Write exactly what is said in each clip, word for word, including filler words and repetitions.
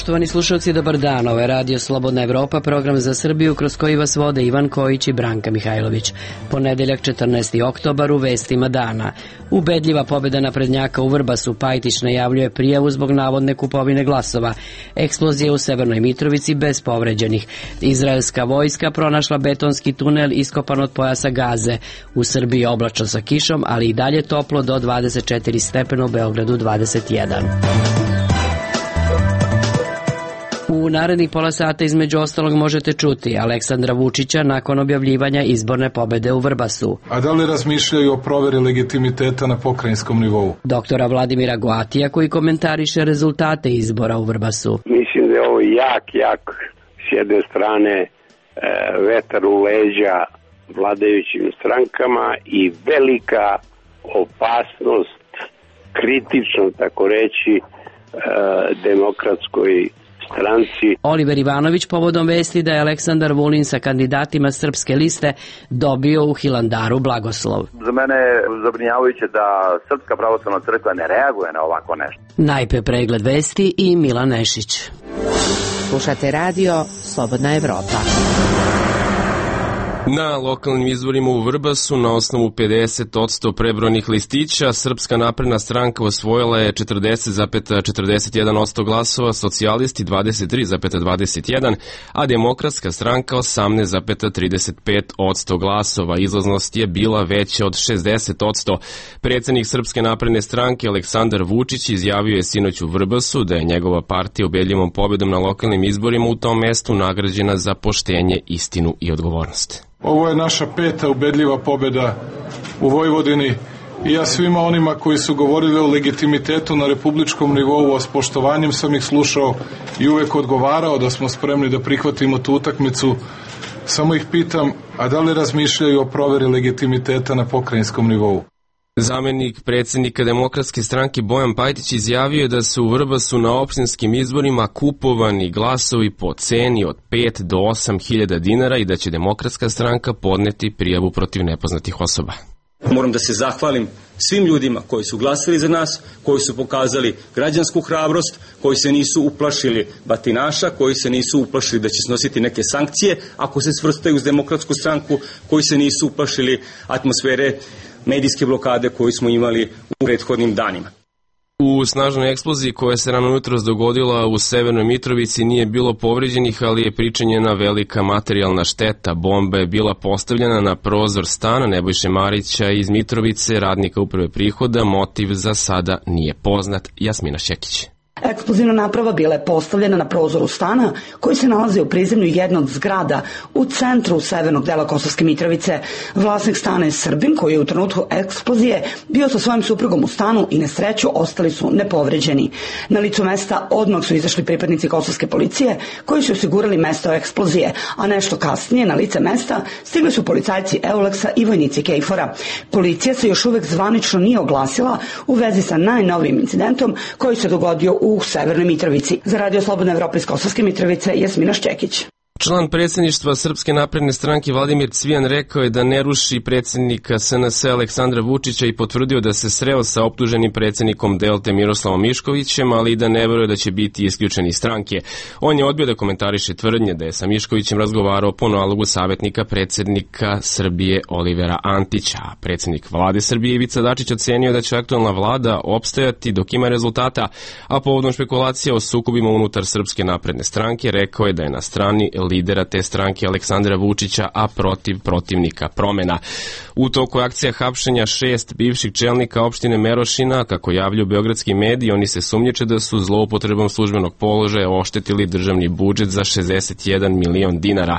Poštovani slušalci, dobar dan. Ovo je Radio Slobodna Evropa, program za Srbiju kroz koji vas vode Ivan Kojić i Branka Mihajlović. Ponedeljak četrnaesti oktobar u vestima dana. Ubedljiva pobjeda naprednjaka u Vrbasu. Pajtić najavljuje prijavu zbog navodne kupovine glasova. Eksplozije u Severnoj Mitrovici bez povređenih. Izraelska vojska pronašla betonski tunel iskopan od pojasa Gaze. U Srbiji oblačno sa kišom, ali i dalje toplo do dvadeset četiri stepena, u Beogradu dvadeset jedan. U narednih pola sata između ostalog možete čuti Aleksandra Vučića nakon objavljivanja izborne pobede u Vrbasu. A da li razmišljaju o proveri legitimiteta na pokrajinskom nivou? Doktora Vladimira Goatija koji komentariše rezultate izbora u Vrbasu. Mislim da je ovo jak, jak s jedne strane e, vetar u leđa vladajućim strankama i velika opasnost, kritično tako reći, e, demokratskoj stranci. Oliver Ivanović povodom vesti da je Aleksandar Vulin sa kandidatima Srpske liste dobio u Hilandaru blagoslov. Za mene je zabrinjavajuće da Srpska pravoslavna crkva ne reaguje na ovako nešto. Najpre pregled vesti i Milan Nešić. Slušate radio Slobodna Evropa. Na lokalnim izborima u Vrbasu na osnovu pedeset posto prebrojanih listića Srpska napredna stranka osvojila je četrdeset zarez četrdeset jedan posto glasova, socijalisti dvadeset tri zarez dvadeset jedan, a demokratska stranka osamnaest zarez trideset pet posto glasova. Izlaznost je bila veća od šezdeset posto. Predsjednik Srpske napredne stranke Aleksandar Vučić izjavio je sinoć u Vrbasu da je njegova partija ubedljivom pobjedom na lokalnim izborima u tom mestu nagrađena za poštenje, istinu i odgovornost. Ovo je naša peta ubedljiva pobjeda u Vojvodini i ja svima onima koji su govorili o legitimitetu na republičkom nivou, a s poštovanjem sam ih slušao i uvek odgovarao da smo spremni da prihvatimo tu utakmicu. Samo ih pitam, a da li razmišljaju o proveri legitimiteta na pokrajinskom nivou? Zamenik predsjednika Demokratske stranke Bojan Pajtić izjavio je da su u Vrbasu na opštinskim izborima kupovani glasovi po ceni od pet do osam hiljada dinara i da će Demokratska stranka podneti prijavu protiv nepoznatih osoba. Moram da se zahvalim svim ljudima koji su glasali za nas, koji su pokazali građansku hrabrost, koji se nisu uplašili batinaša, koji se nisu uplašili da će snositi neke sankcije ako se svrstaju uz Demokratsku stranku, koji se nisu uplašili atmosfere medijske blokade koju smo imali u prethodnim danima. U snažnoj eksploziji koja se rano jutros dogodila u Severnoj Mitrovici nije bilo povređenih, ali je pričinjena velika materijalna šteta. Bomba je bila postavljena na prozor stana Nebojše Marića iz Mitrovice, radnika uprave prihoda. Motiv za sada nije poznat. Jasmina Šekić. Eksplozivna naprava bila je postavljena na prozoru stana koji se nalazi u prizemlju jednog zgrada u centru severnog dela Kosovske Mitrovice. Vlasnik stana je Srbin koji je u trenutku eksplozije bio sa svojim suprugom u stanu i na sreću ostali su nepovređeni. Na licu mesta odmah su izašli pripadnici kosovske policije koji su osigurali mesto eksplozije, a nešto kasnije na lice mesta stigli su policajci Euleksa i vojnici Kejfora. Policija se još uvek zvanično nije oglasila u vezi sa najnovijim incidentom koji se dogodio u u Severnoj Mitrovici. Za Radio Slobodna Evropa iz Kosovske Mitrovice, Jasmina Šćekić. Član predsjedništva Srpske napredne stranke Vladimir Cvijan rekao je da ne ruši predsjednika S N S Aleksandra Vučića i potvrdio da se sreo sa optuženim predsjednikom Delte Miroslavom Miškovićem, ali i da ne veruje da će biti isključen iz stranke. On je odbio da komentariše tvrdnje da je sa Miškovićem razgovarao po nalogu savjetnika predsjednika Srbije Olivera Antića. Predsjednik vlade Srbije Ivica Dačić ocenio da će aktualna vlada opstajati dok ima rezultata, a povodom špekulacija o sukobima unutar Srpske napredne stranke rekao je da je na strani lidera te stranke Aleksandra Vučića, a protiv protivnika promena. U toku akcija hapšenja šest bivših čelnika opštine Merošina, kako javljaju beogradski mediji, oni se sumnjiče da su zloupotrebom službenog položaja oštetili državni budžet za šezdeset jedan milion dinara.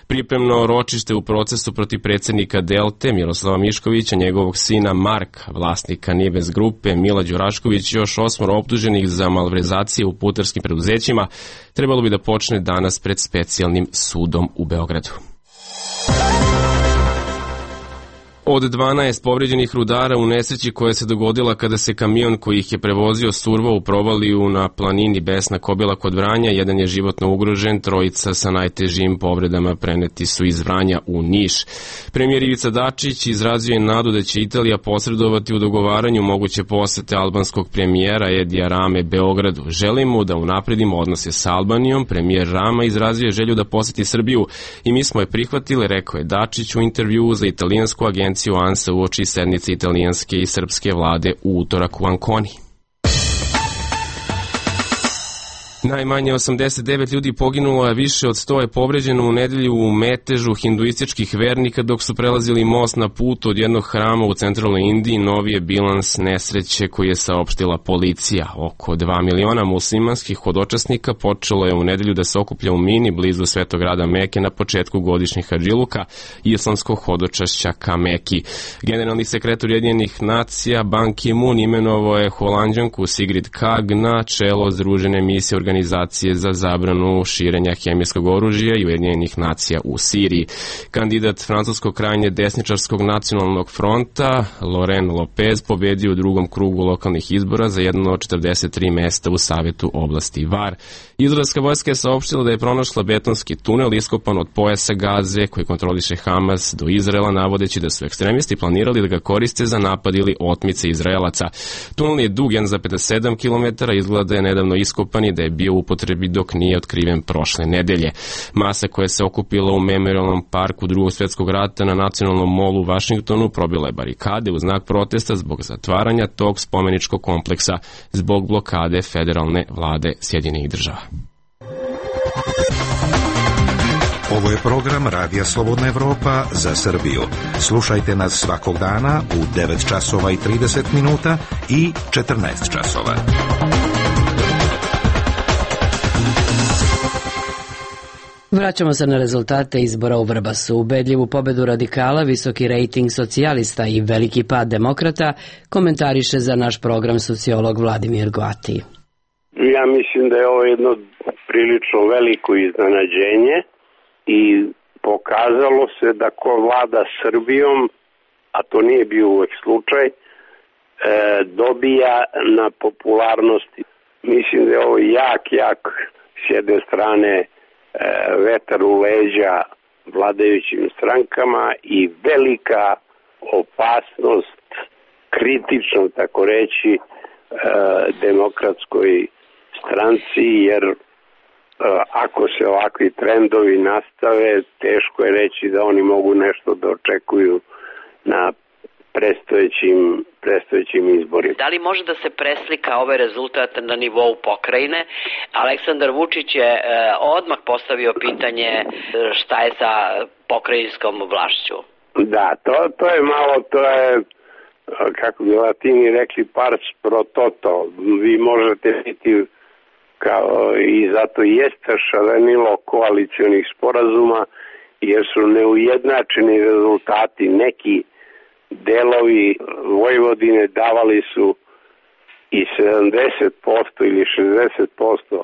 Pripremno ročište u procesu protiv predsjednika Delte Miroslava Miškovića, njegovog sina Marka, vlasnika Nives grupe, Mila Đurašković, još osmoro optuženih za malverzacije u putarskim preduzećima, trebalo bi da počne danas pred specijalnim sudom u Beogradu. Od dvanaest povređenih rudara u nesreći koja se dogodila kada se kamion koji ih je prevozio survao u provaliju na planini Besna Kobila kod Vranja, jedan je životno ugrožen, trojica sa najtežim povredama preneti su iz Vranja u Niš. Premijer Ivica Dačić izrazio je nadu da će Italija posredovati u dogovaranju moguće posete albanskog premijera Edija Rame Beogradu. Želimo da unapredimo odnose sa Albanijom. Premijer Rama izrazio je želju da poseti Srbiju i mi smo je prihvatili, rekao je Dačić u intervjuu za italijansku agenciju ANSA uoči sednice italijanske i srpske vlade u utorak u Anconi. Najmanje osamdeset devet ljudi poginulo, a više od sto je povređeno u nedelju u metežu hinduističkih vernika dok su prelazili most na putu od jednog hrama u centralnoj Indiji. Novi je bilans nesreće koji je saopštila policija. Oko dva miliona muslimanskih hodočasnika počelo je u nedelju da se okuplja u Mini blizu svetog grada Meke na početku godišnjih hadžiluka islamskog hodočašća ka Meki. Generalni sekretar Ujedinjenih nacija Ban Ki-moon imenovao je Holanđanku Sigrid Kaag na čelo Združene misije Organizacije za zabranu širenja hemijskog oružja i Ujedinjenih nacija u Siriji. Kandidat francuskog krajnje desničarskog nacionalnog fronta Laurent Lopez pobedio u drugom krugu lokalnih izbora za jedno od četrdeset tri mesta u Savetu oblasti Var. Izraelska vojska je saopštila da je pronašla betonski tunel iskopan od pojasa Gaze koji kontroliše Hamas do Izraela, navodeći da su ekstremisti planirali da ga koriste za napad ili otmice Izraelaca. Tunel je dug jedan zarez pedeset sedam kilometara, izgleda da je nedavno iskopan i da je bio u upotrebi dok nije otkriven prošle nedelje. Masa koja se okupila u Memorialnom parku Drugog svjetskog rata na Nacionalnom molu u Vašingtonu probila je barikade u znak protesta zbog zatvaranja tog spomeničkog kompleksa zbog blokade federalne vlade Sjedinjenih država. Ovo je program Radija Slobodna Evropa za Srbiju. Slušajte nas svakog dana u devet časova i trideset minuta i četrnaest časova. Vraćamo se na rezultate izbora u Vrbasu. Ubedljivu pobedu radikala, visoki rejting socijalista i veliki pad demokrata komentariše za naš program sociolog Vladimir Goati. Ja mislim da je ovo jedno prilično veliko iznenađenje i pokazalo se da ko vlada Srbijom, a to nije bio uvek slučaj, e, dobija na popularnosti. Mislim da je ovo jak, jak s jedne strane vetar u leđa vladajućim strankama i velika opasnost, kritično tako reći, demokratskoj stranci, jer ako se ovakvi trendovi nastave, teško je reći da oni mogu nešto da očekuju na prestojećim, prestojećim izborima. Da li može da se preslika ovaj rezultat na nivou pokrajine? Aleksandar Vučić je e, odmah postavio pitanje šta je sa pokrajinskom vlašću. Da, to, to je malo, to je, kako bi Latini rekli, pars pro toto. Vi možete biti, kao, i zato jeste šarenilo koalicionih sporazuma, jer su neujednačeni rezultati. Neki delovi Vojvodine davali su i sedamdeset posto ili šezdeset posto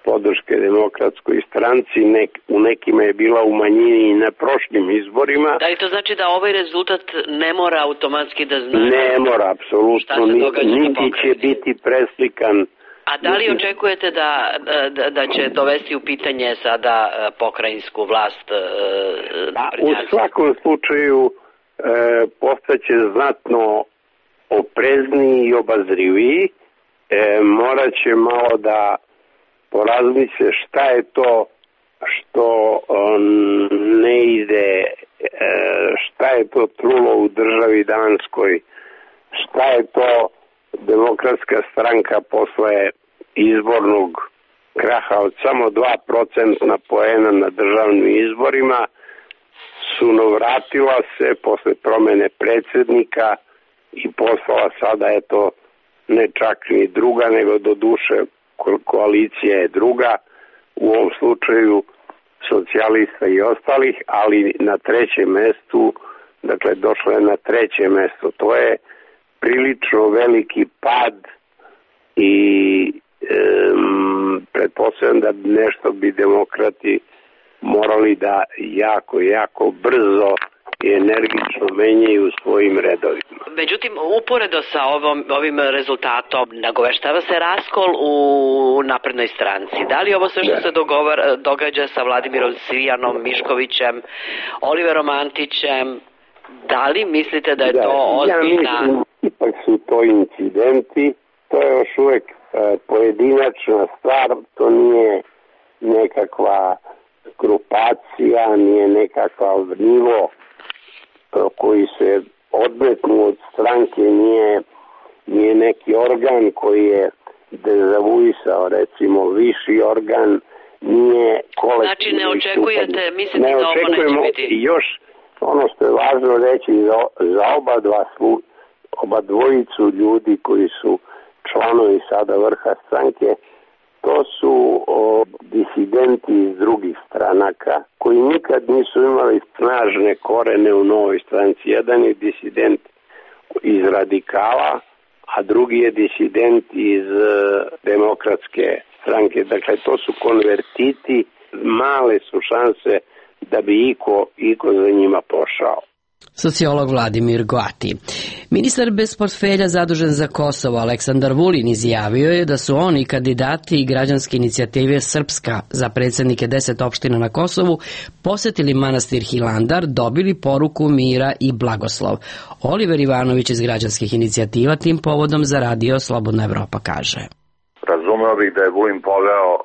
podrške demokratskoj stranci, nek, u nekima je bila u manjini i na prošlim izborima. Da li to znači da ovaj rezultat ne mora automatski da znači? Ne mora, apsolutno, niti će biti preslikan. A da li očekujete da, da, da će dovesti u pitanje sada pokrajinsku vlast? Da, u svakom slučaju E, postaće znatno oprezniji i obazriviji, e, morat će malo da porazmisle šta je to što on, ne ide, e, šta je to trulo u državi Danskoj, šta je to Demokratska stranka posle izbornog kraha od samo dva procenta poena na državnim izborima sunovratila se posle promene predsjednika i poslala sada, eto, ne čak ni druga, nego do duše koalicija je druga, u ovom slučaju socijalista i ostalih, ali na trećem mestu, dakle došla je na treće mesto. To je prilično veliki pad i um, pretpostavljam da nešto bi demokrati morali da jako, jako brzo i energično menjaju u svojim redovima. Međutim, uporedo sa ovom, ovim rezultatom nagoveštava se raskol u naprednoj stranci. Da li ovo sve što da. se dogovar, događa sa Vladimirom Cvijanom Miškovićem, Oliverom Antićem, da li mislite da je da, to ozbiljna... Ja mislim, ipak su to incidenti, to je još uvek e, pojedinačna stvar, to nije nekakva grupacija, nije nekakav nivo koji se odmetnu od stranke, nije, nije neki organ koji je dezavuisao, recimo viši organ, nije kolektivni. Znači ne očekujete, mislite da ovo neće biti? I još ono što je važno reći za, za oba dva slu, oba dvojicu ljudi koji su članovi sada vrha stranke, to su o, disidenti iz drugih stranaka koji nikad nisu imali snažne korene u novoj stranci. Jedan je disident iz radikala, a drugi je disident iz e, demokratske stranke. Dakle, to su konvertiti, male su šanse da bi iko, iko za njima pošao. Sociolog Vladimir Goati. Ministar bez portfelja zadužen za Kosovo Aleksandar Vulin izjavio je da su oni kandidati građanske inicijative Srpska za predsjednike deset opština na Kosovu posetili manastir Hilandar, dobili poruku mira i blagoslov. Oliver Ivanović iz građanskih inicijativa tim povodom za radio Slobodna Evropa kaže. Razumeo bih da je Vulin poveo uh,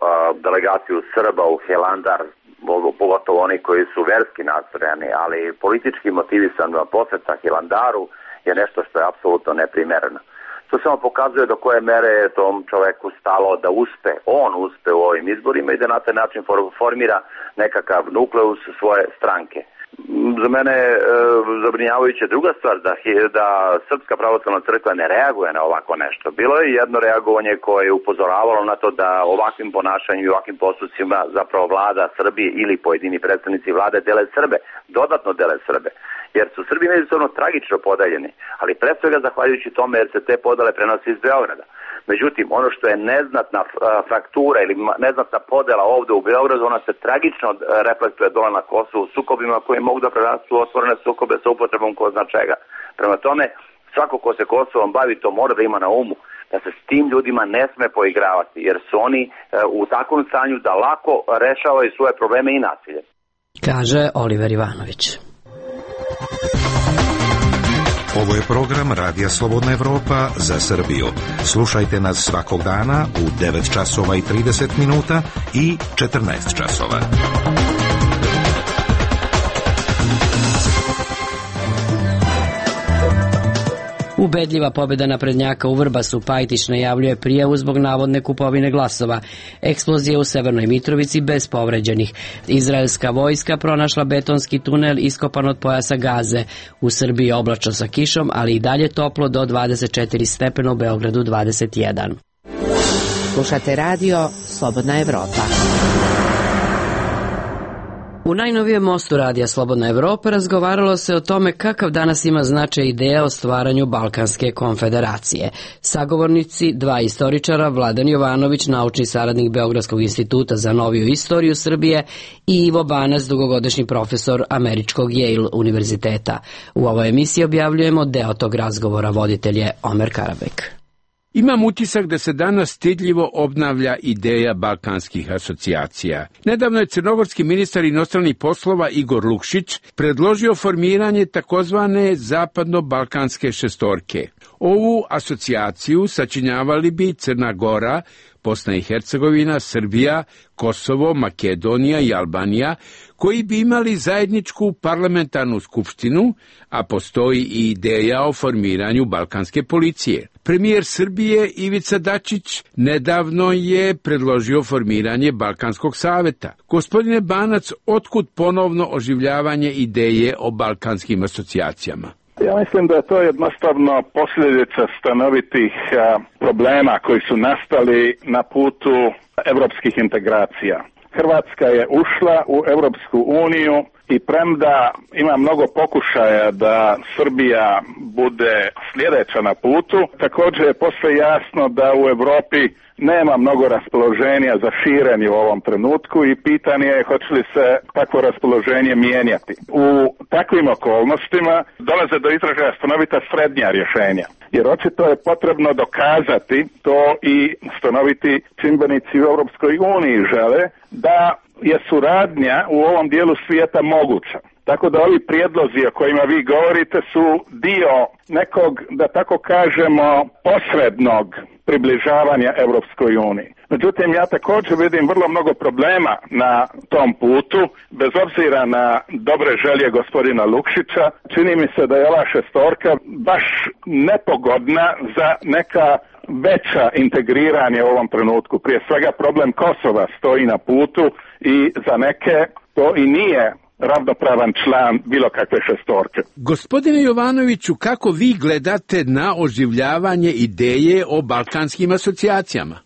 delegaciju Srba u Hilandar, pogotovo oni koji su verski nastrojeni, ali politički motivisan poseta Hilandaru je nešto što je apsolutno neprimereno. To samo pokazuje do koje mere je tom čoveku stalo da uspe, on uspe u ovim izborima i da na taj način formira nekakav nukleus svoje stranke. Za mene je e, zabrinjavajuća druga stvar da, da Srpska pravoslavna crkva ne reaguje na ovako nešto. Bilo je jedno reagovanje koje je upozoravalo na to da ovakvim ponašanjem i ovakvim postupcima zapravo vlada Srbije ili pojedini predstavnici vlade dele Srbe, dodatno dele Srbe. Jer su Srbi međusobno tragično podeljeni, ali pre svega zahvaljujući tome jer se te podele prenose iz Beograda. Međutim, ono što je neznatna fraktura ili neznatna podela ovde u Beogradu, ona se tragično reflektuje dole na Kosovu sukobima koji mogu da prerastu otvorene sukobe sa upotrebom ko zna čega. Prema tome, svako ko se Kosovom bavi to mora da ima na umu da se s tim ljudima ne sme poigravati, jer su oni u takvom stanju da lako rešavaju svoje probleme i nasilje. Kaže Oliver Ivanović. Ovo je program Radija Slobodna Evropa za Srbiju. Slušajte nas svakog dana u devet časova i trideset minuta i četrnaest časova. Ubedljiva pobjeda naprednjaka u Vrbasu. Pajtić najavljuje prijavu zbog navodne kupovine glasova. Eksplozija u Severnoj Mitrovici bez povređenih. Izraelska vojska pronašla betonski tunel iskopan od pojasa Gaze. U Srbiji oblačno sa kišom, ali i dalje toplo do dvadeset četiri stepena, u Beogradu dvadeset jedan. Slušate radio Slobodna Evropa. U najnovijem mostu radija Slobodna Evropa razgovaralo se o tome kakav danas ima značaj ideja o stvaranju Balkanske konfederacije. Sagovornici, dva istoričara, Vladan Jovanović, naučni saradnik Beogradskog instituta za noviju istoriju Srbije, i Ivo Banac, dugogodišnji profesor Američkog Yale univerziteta. U ovoj emisiji objavljujemo deo tog razgovora, voditelj je Omer Karabek. Imam utisak da se danas stidljivo obnavlja ideja balkanskih asocijacija. Nedavno je crnogorski ministar inostranih poslova Igor Lukšić predložio formiranje takozvane zapadno-balkanske šestorke. Ovu asocijaciju sačinjavali bi Crna Gora, Bosna i Hercegovina, Srbija, Kosovo, Makedonija i Albanija, koji bi imali zajedničku parlamentarnu skupštinu, a postoji i ideja o formiranju balkanske policije. Premijer Srbije Ivica Dačić nedavno je predložio formiranje Balkanskog saveta. Gospodine Banac, otkud ponovno oživljavanje ideje o balkanskim asocijacijama? Ja mislim da je to jednostavno posljedica stanovitih a, problema koji su nastali na putu evropskih integracija. Hrvatska je ušla u Evropsku uniju i premda ima mnogo pokušaja da Srbija bude sljedeća na putu, također je posve jasno da u Evropi nema mnogo raspoloženja za širenje u ovom trenutku i pitanje je hoće li se takvo raspoloženje mijenjati. U takvim okolnostima dolaze do izražaja stanovita srednja rješenja. Jer očito je potrebno dokazati, to i stanoviti čimbenici u Europskoj uniji žele, da je suradnja u ovom dijelu svijeta moguća. Tako da ovi prijedlozi o kojima vi govorite su dio nekog, da tako kažemo, posrednog približavanja Europskoj uniji. Međutim, ja također vidim vrlo mnogo problema na tom putu, bez obzira na dobre želje gospodina Lukšića. Čini mi se da je ova šestorka baš nepogodna za neka veća integriranja u ovom trenutku. Prije svega problem Kosova stoji na putu i za neke to i nije ravnopravan član bilo kakve šestorke. Gospodine Jovanoviću, kako vi gledate na oživljavanje ideje o balkanskim asocijacijama?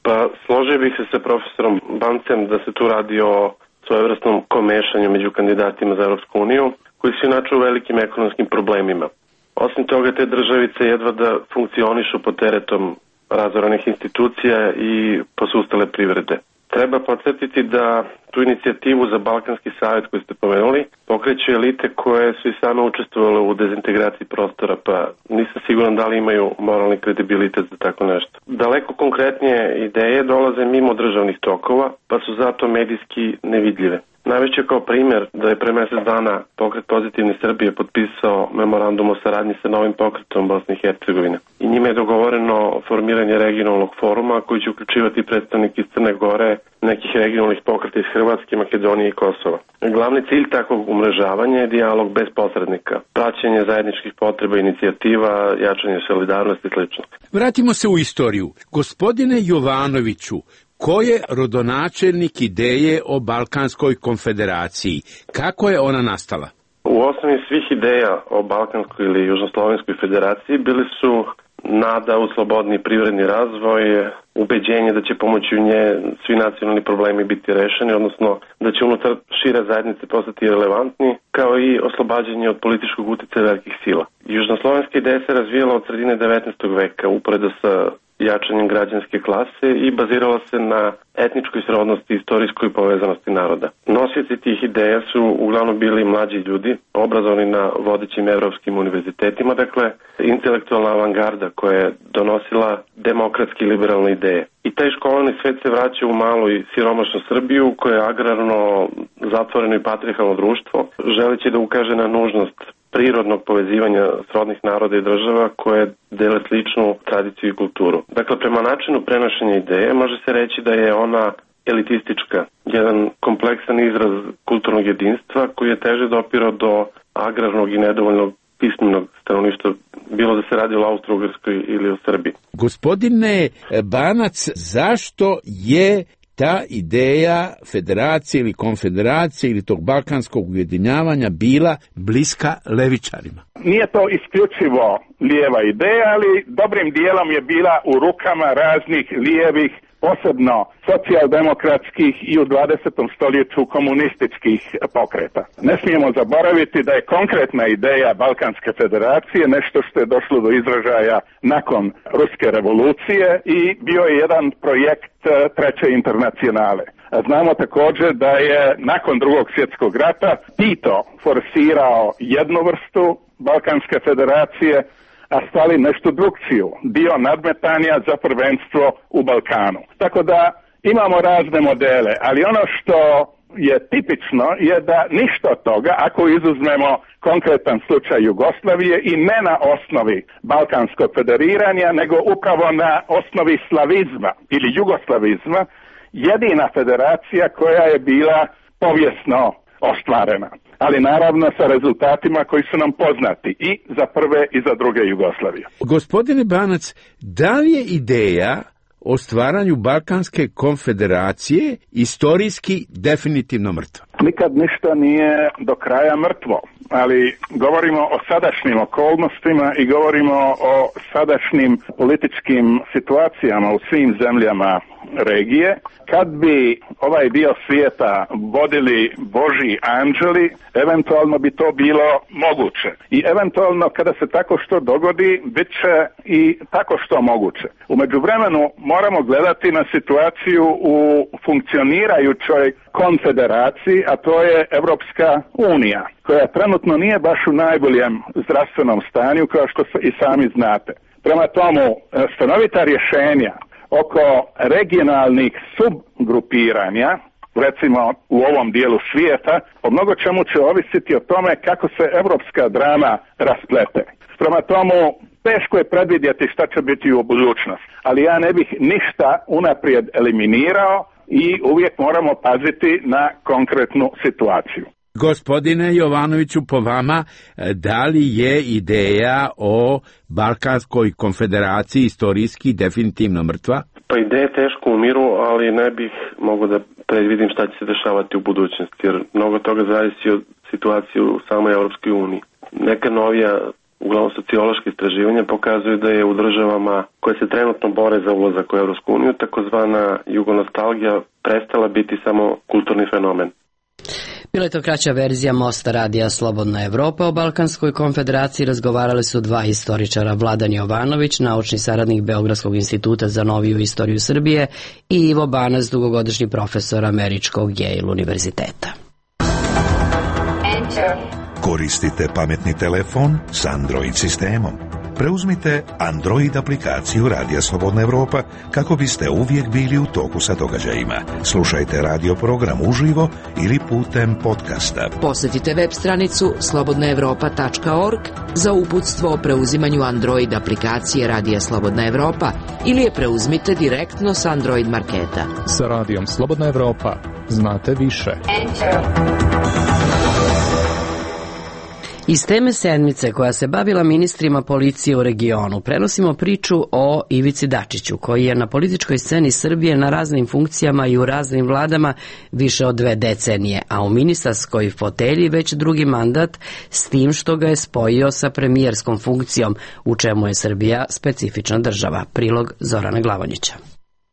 Pa složio bih se sa profesorom Bancem da se tu radi o svojevrsnom komešanju među kandidatima za Europsku uniju, koji su inače u velikim ekonomskim problemima. Osim toga, te državice jedva da funkcionišu pod teretom razoranih institucija i posustale privrede. Treba podsjetiti da tu inicijativu za Balkanski savjet koju ste pomenuli pokreću elite koje su i same učestvovale u dezintegraciji prostora, pa nisam siguran da li imaju moralni kredibilitet za tako nešto. Daleko konkretnije ideje dolaze mimo državnih tokova, pa su zato medijski nevidljive. Navešću kao primjer da je pre mjesec dana pokret Pozitivne Srbije potpisao memorandum o saradnji sa novim pokretom Bosne i Hercegovine. I njime je dogovoreno formiranje regionalnog foruma koji će uključivati predstavnike iz Crne Gore, nekih regionalnih pokreta iz Hrvatske, Makedonije i Kosova. Glavni cilj takvog umrežavanja je dijalog bez posrednika, praćenje zajedničkih potreba, inicijativa, jačanje solidarnosti i sl. Vratimo se u istoriju. Gospodine Jovanoviću, ko je rodonačelnik ideje o Balkanskoj konfederaciji? Kako je ona nastala? U osnovi svih ideja o Balkanskoj ili Južnoslovenskoj federaciji bili su nada u slobodni privredni razvoj, ubeđenje da će pomoću nje svi nacionalni problemi biti rešeni, odnosno da će unutar šire zajednice postati relevantni, kao i oslobađanje od političkog uticaja velikih sila. Južnoslovenska ideja se razvijala od sredine devetnaestog veka, uporedo sa jačanjem građanske klase i bazirala se na etničkoj srodnosti i istorijskoj povezanosti naroda. Nosioci tih ideja su uglavnom bili mlađi ljudi, obrazovani na vodećim evropskim univerzitetima, dakle intelektualna avangarda koja je donosila demokratske i liberalne ideje. I taj školovani svet se vraća u malu i siromašnu Srbiju, koja je agrarno, zatvoreno i patrijarhalno društvo, želeći da ukaže na nužnost prirodnog povezivanja srodnih naroda i država koje dele sličnu tradiciju i kulturu. Dakle, prema načinu prenošenja ideje može se reći da je ona elitistička, jedan kompleksan izraz kulturnog jedinstva koji je teže dopirao do agrarnog i nedovoljnog pismenog stanovništva, bilo da se radi o Austro-Ugarskoj ili o Srbiji. Gospodine Banac, zašto je ta ideja federacije ili konfederacije ili tog balkanskog ujedinjavanja bila bliska levičarima? Nije to isključivo lijeva ideja, ali dobrim dijelom je bila u rukama raznih lijevih, posebno socijaldemokratskih i u dvadesetom stoljeću komunističkih pokreta. Ne smijemo zaboraviti da je konkretna ideja Balkanske federacije nešto što je došlo do izražaja nakon Ruske revolucije i bio je jedan projekt Treće internacionale. Znamo također da je nakon Drugog svjetskog rata Tito forsirao jednu vrstu Balkanske federacije, a Stalin nešto drugčiju, dio nadmetanja za prvenstvo u Balkanu. Tako da imamo razne modele, ali ono što je tipično je da ništa od toga, ako izuzmemo konkretan slučaj Jugoslavije, i ne na osnovi balkanskog federiranja, nego upravo na osnovi slavizma ili jugoslavizma, jedina federacija koja je bila povijesno ostvarena. Ali naravno sa rezultatima koji su nam poznati i za prve i za druge Jugoslavije. Gospodine Banac, da li je ideja o stvaranju Balkanske konfederacije istorijski definitivno mrtva? Nikad ništa nije do kraja mrtvo. ali govorimo o sadašnjim okolnostima i govorimo o sadašnjim političkim situacijama u svim zemljama regije. Kad bi ovaj dio svijeta vodili Božji anđeli, eventualno bi to bilo moguće. I eventualno kada se tako što dogodi, bit će i tako što moguće. U međuvremenu moramo gledati na situaciju u funkcionirajućoj konfederaciji, a to je Evropska unija, koja trenutno nije baš u najboljem zdravstvenom stanju, kao što i sami znate. Prema tomu, stanovita rješenja oko regionalnih subgrupiranja, recimo u ovom dijelu svijeta, o mnogo čemu će ovisiti o tome kako se evropska drama rasplete. Prema tomu, teško je predvidjeti šta će biti u budućnosti, ali ja ne bih ništa unaprijed eliminirao i uvijek moramo paziti na konkretnu situaciju. Gospodine Jovanoviću, po vama, da li je ideja o Balkanskoj konfederaciji istorijski definitivno mrtva? Pa ideja je teško umiru, ali ne bih mogao da predvidim šta će se dešavati u budućnosti, jer mnogo toga zavisi od situacije u samoj Europskoj uniji. Neka novija, uglavnom sociološke istraživanja, pokazuju da je u državama koje se trenutno bore za ulazak u Europsku uniju takozvana jugonostalgija prestala biti samo kulturni fenomen. Bila je to kraća verzija Mosta radija Slobodna Evropa. O Balkanskoj konfederaciji razgovarali su dva istoričara, Vladan Jovanović, naučni saradnik Beogradskog instituta za noviju istoriju Srbije, i Ivo Banac, dugogodišnji profesor Američkog Yale univerziteta. Koristite pametni telefon s Android sistemom. Preuzmite Android aplikaciju Radija Slobodna Evropa kako biste uvijek bili u toku sa događajima. Slušajte radio program uživo ili putem podcasta. Posjetite web stranicu slobodna evropa tačka org za uputstvo o preuzimanju Android aplikacije Radija Slobodna Evropa ili je preuzmite direktno s Android marketa. Sa Radijom Slobodna Evropa znate više. Iz teme sedmice koja se bavila ministrima policije u regionu prenosimo priču o Ivici Dačiću, koji je na političkoj sceni Srbije na raznim funkcijama i u raznim vladama više od dve decenije, a u ministarskoj fotelji već drugi mandat, s tim što ga je spojio sa premijerskom funkcijom, u čemu je Srbija specifična država. Prilog Zorana Glavonjića.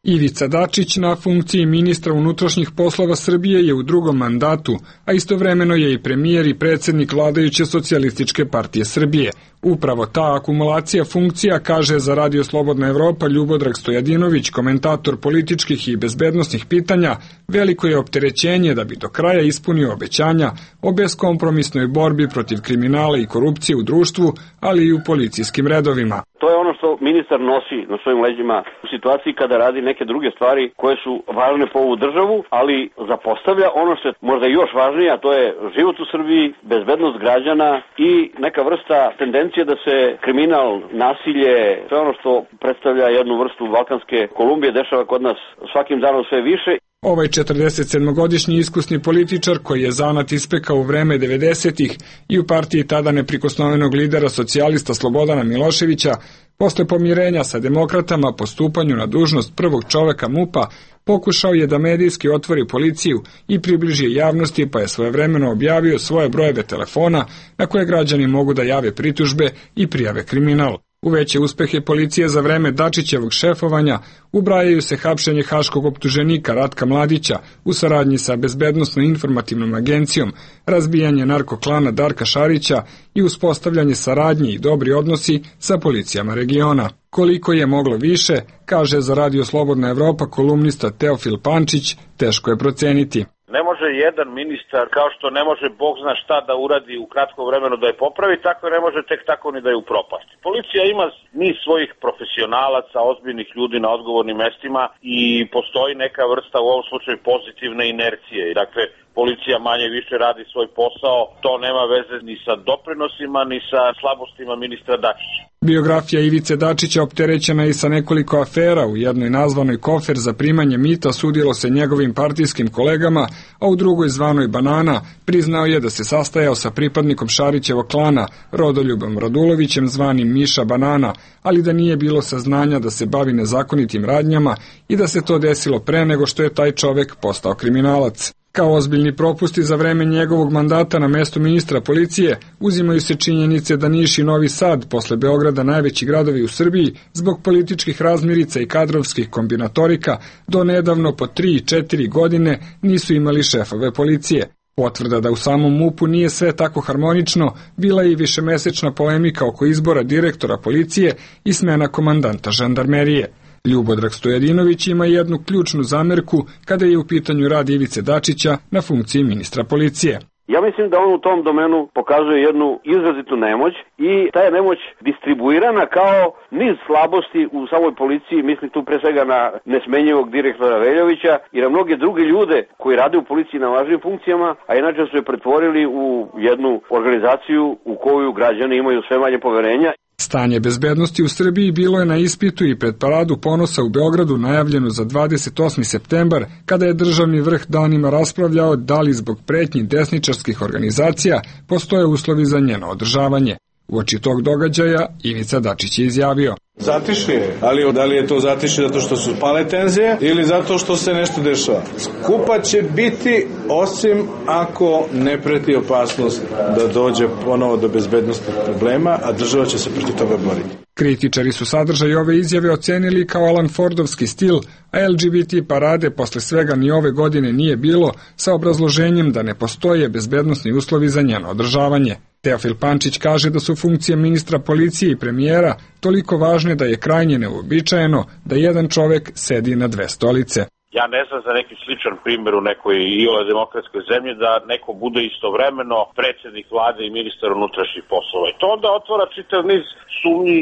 Ivica Dačić na funkciji ministra unutrašnjih poslova Srbije je u drugom mandatu, a istovremeno je i premijer i predsjednik vladajuće Socijalističke partije Srbije. Upravo ta akumulacija funkcija, kaže za Radio Slobodna Evropa Ljubodrag Stojadinović, komentator političkih i bezbednosnih pitanja, veliko je opterećenje da bi do kraja ispunio obećanja o beskompromisnoj borbi protiv kriminala i korupcije u društvu, ali i u policijskim redovima. To je ono što ministar nosi na svojim leđima u situaciji kada radi neke druge stvari koje su važne po ovu državu, ali zapostavlja ono što je možda još važnije, a to je život u Srbiji, bezbednost građana i neka vrsta tendencije da se kriminal, nasilje, sve ono što predstavlja jednu vrstu Balkanske Kolumbije dešava kod nas svakim danom sve više. Ovaj četrdesetsedmogodišnji iskusni političar, koji je zanat ispekao u vreme devedesetih i u partiji tada neprikosnovenog lidera socijalista Slobodana Miloševića, posle pomirenja sa demokratama po stupanju na dužnost prvog čoveka MUP-a, pokušao je da medijski otvori policiju i približi javnosti, pa je svojevremeno objavio svoje brojeve telefona na koje građani mogu da jave pritužbe i prijave kriminal. U veće uspehe policije za vreme Dačićevog šefovanja ubrajaju se hapšenje haškog optuženika Ratka Mladića u saradnji sa Bezbednosno-informativnom agencijom, razbijanje narkoklana Darka Šarića i uspostavljanje saradnje i dobri odnosi sa policijama regiona. Koliko je moglo više, kaže za Radio Slobodna Evropa kolumnista Teofil Pančić, teško je proceniti. Ne može jedan ministar, kao što ne može Bog zna šta da uradi u kratkom vremenu da je popravi, tako ne može tek tako ni da je upropasti. Policija ima niz svojih profesionalaca, ozbiljnih ljudi na odgovornim mestima i postoji neka vrsta, u ovom slučaju, pozitivne inercije. Dakle, policija manje više radi svoj posao, to nema veze ni sa doprinosima, ni sa slabostima ministra Dačića. Biografija Ivice Dačića opterećena i sa nekoliko afera. U jednoj nazvanoj Kofer za primanje mita sudilo se njegovim partijskim kolegama, a u drugoj zvanoj Banana priznao je da se sastajao sa pripadnikom Šarićevog klana, Rodoljubom Radulovićem zvanim Miša Banana, ali da nije bilo saznanja da se bavi nezakonitim radnjama i da se to desilo pre nego što je taj čovek postao kriminalac. Kao ozbiljni propusti za vreme njegovog mandata na mestu ministra policije uzimaju se činjenice da Niš i Novi Sad, posle Beograda najveći gradovi u Srbiji, zbog političkih razmirica i kadrovskih kombinatorika, do nedavno po tri i četiri godine nisu imali šefove policije. Potvrda da u samom MUP-u nije sve tako harmonično bila je i višemesečna polemika oko izbora direktora policije i smena komandanta žandarmerije. Ljubodrag Stojadinović ima jednu ključnu zamerku kada je u pitanju rad Ivice Dačića na funkciji ministra policije. Ja mislim da on u tom domenu pokazuje jednu izrazitu nemoć i ta je nemoć distribuirana kao niz slabosti u samoj policiji, mislim tu pre svega na nesmenjivog direktora Veljovića i na mnoge druge ljude koji rade u policiji na važnim funkcijama, a inače su je pretvorili u jednu organizaciju u koju građani imaju sve manje poverenja. Stanje bezbednosti u Srbiji bilo je na ispitu i pred Paradu ponosa u Beogradu najavljeno za dvadeset osmi septembar, kada je državni vrh danima raspravljao da li zbog pretnji desničarskih organizacija postoje uslovi za njeno održavanje. Uoči tog događaja Ivica Dačić je izjavio: Zatišje je, ali da li je to zatišje zato što su pale tenzije ili zato što se nešto dešava? Skupa će biti osim ako ne preti opasnost da dođe ponovo do bezbednostnih problema, a država će se protiv toga boriti. Kritičari su sadržaj ove izjave ocenili kao Alan Fordovski stil, a L G B T parade posle svega ni ove godine nije bilo, sa obrazloženjem da ne postoje bezbednosni uslovi za njeno održavanje. Teofil Pančić kaže da su funkcije ministra policije i premijera toliko važne da je krajnje neuobičajeno da jedan čovek sedi na dve stolice. Ja ne znam za neki sličan primjer u nekoj iole demokratskoj zemlji da neko bude istovremeno predsjednik vlade i ministar unutrašnjih poslova. I to onda otvara čitav niz sumnji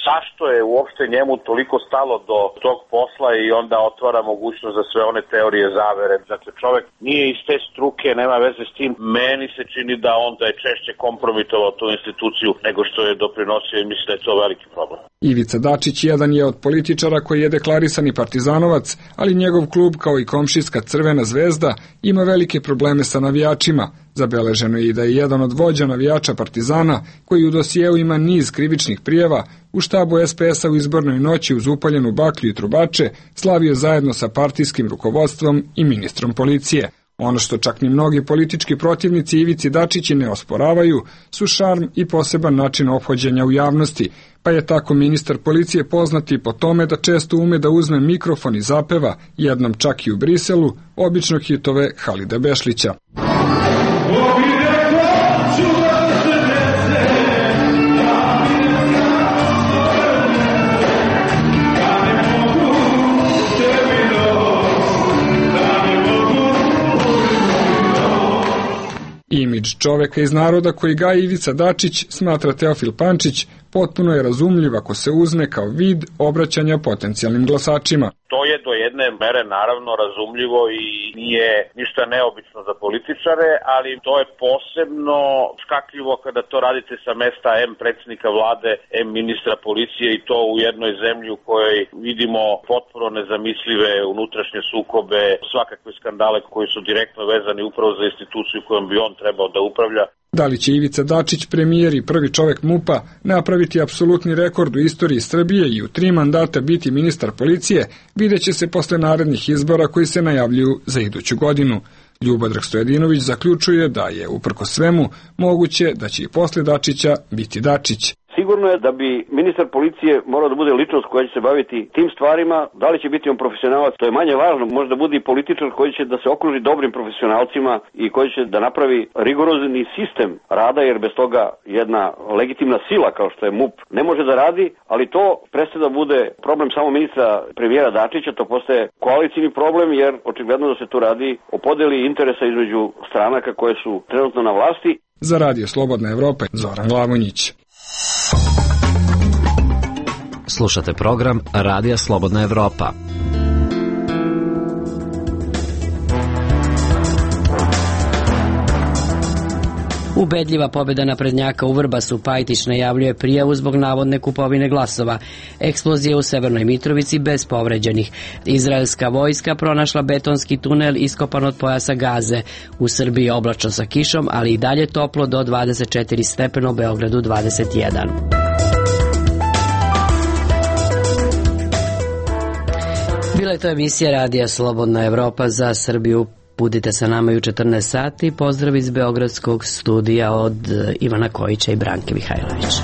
zašto je uopšte njemu toliko stalo do tog posla i onda otvara mogućnost za sve one teorije zavere. Dakle, čovjek nije iz te struke, nema veze s tim. Meni se čini da onda je češće kompromitovao tu instituciju nego što je doprinosio i mislim da je to veliki problem. Ivica Dačić jedan je od političara koji je deklarisani partizanovac, ali njegov klub kao i komšijska Crvena zvezda ima velike probleme sa navijačima. Zabeleženo je i da je jedan od vođa navijača Partizana, koji u dosijeu ima niz krivičnih prijava, u štabu S P S-a u izbornoj noći uz upaljenu baklju i trubače slavio zajedno sa partijskim rukovodstvom i ministrom policije. Ono što čak ni mnogi politički protivnici Ivici Dačići ne osporavaju su šarm i poseban način ophođenja u javnosti, pa je tako ministar policije poznati po tome da često ume da uzme mikrofon i zapeva, jednom čak i u Briselu, obično hitove Halida Bešlića. Imidž čoveka iz naroda koji gaji Ivica Dačić, smatra Teofil Pančić, potpuno je razumljiv ako se uzme kao vid obraćanja potencijalnim glasačima. To je do jedne mere naravno razumljivo i nije ništa neobično za političare, ali to je posebno škakljivo kada to radite sa mesta em predsjednika vlade, em ministra policije i to u jednoj zemlji u kojoj vidimo potpuno nezamislive unutrašnje sukobe, svakakve skandale koji su direktno vezani upravo za instituciju kojom bi on trebao da upravlja. Da li će Ivica Dačić, premijer i prvi čovek MUP-a, napraviti apsolutni rekord u istoriji Srbije i u tri mandata biti ministar policije, vidjet će se posle narednih izbora koji se najavljuju za iduću godinu. Ljubodrag Stojadinović zaključuje da je, uprkos svemu, moguće da će i posle Dačića biti Dačić. Sigurno je da bi ministar policije morao da bude ličnost koja će se baviti tim stvarima. Da li će biti on profesionalac, to je manje važno. Možda bude i političar koji će da se okruži dobrim profesionalcima i koji će da napravi rigorozni sistem rada, jer bez toga jedna legitimna sila kao što je MUP ne može da radi, ali to prestaje da bude problem samo ministra premijera Dačića, to postaje koalicijni problem, jer očigledno da se tu radi o podeli interesa između stranaka koje su trenutno na vlasti. Za Radio Slobodna Evropa, Zoran Glavonjić. Slušate program Radija Slobodna Evropa. Ubedljiva pobjeda naprednjaka u Vrbasu. Pajtić najavljuje prijavu zbog navodne kupovine glasova. Eksplozija u Severnoj Mitrovici bez povređenih. Izraelska vojska pronašla betonski tunel iskopan od pojasa Gaze. U Srbiji oblačno sa kišom, ali i dalje toplo do dvadeset četiri stepena, u Beogradu dvadeset jedan. Bila je to emisija Radija Slobodna Evropa za Srbiju. Budite sa nama i u četrnaest sati. Pozdrav iz Beogradskog studija od Ivana Kojića i Branke Mihajlović.